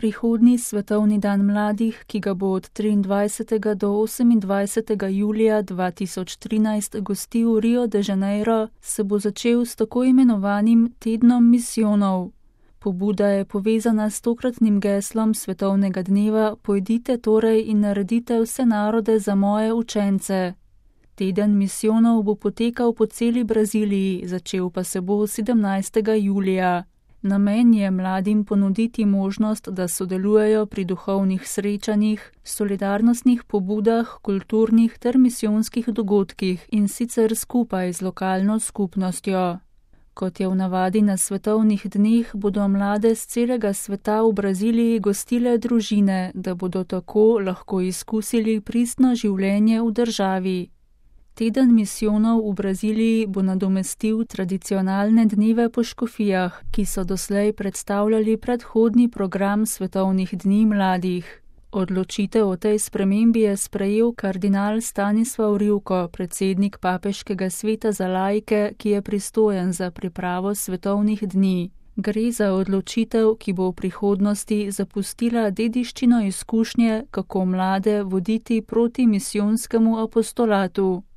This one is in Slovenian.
prihodnji svetovni dan mladih, ki ga bo od 23. do 28. julija 2013 gostil Rio de Janeiro, se bo začel s tako imenovanim tednom misijonov. Pobuda je povezana s tokratnim geslom svetovnega dneva Pojdite torej in naredite vse narode za moje učence. Teden misijonov bo potekal po celi Braziliji, začel pa se bo 17. julija. Namen je mladim ponuditi možnost, da sodelujejo pri duhovnih srečanjih, solidarnostnih pobudah, kulturnih ter misijonskih dogodkih in sicer skupaj z lokalno skupnostjo. Kot je v navadi na svetovnih dneh, bodo mlade z celega sveta v Braziliji gostile družine, da bodo tako lahko izkusili pristno življenje v državi. Teden misijonov v Braziliji bo nadomestil tradicionalne dneve po škofijah, ki so doslej predstavljali predhodni program svetovnih dni mladih. Odločitev o tej spremembi je sprejel kardinal Stanislav Rivko, predsednik Papeškega sveta za laike, ki je pristojen za pripravo svetovnih dni. Gre za odločitev, ki bo v prihodnosti zapustila dediščino izkušnje, kako mlade voditi proti misijonskemu apostolatu.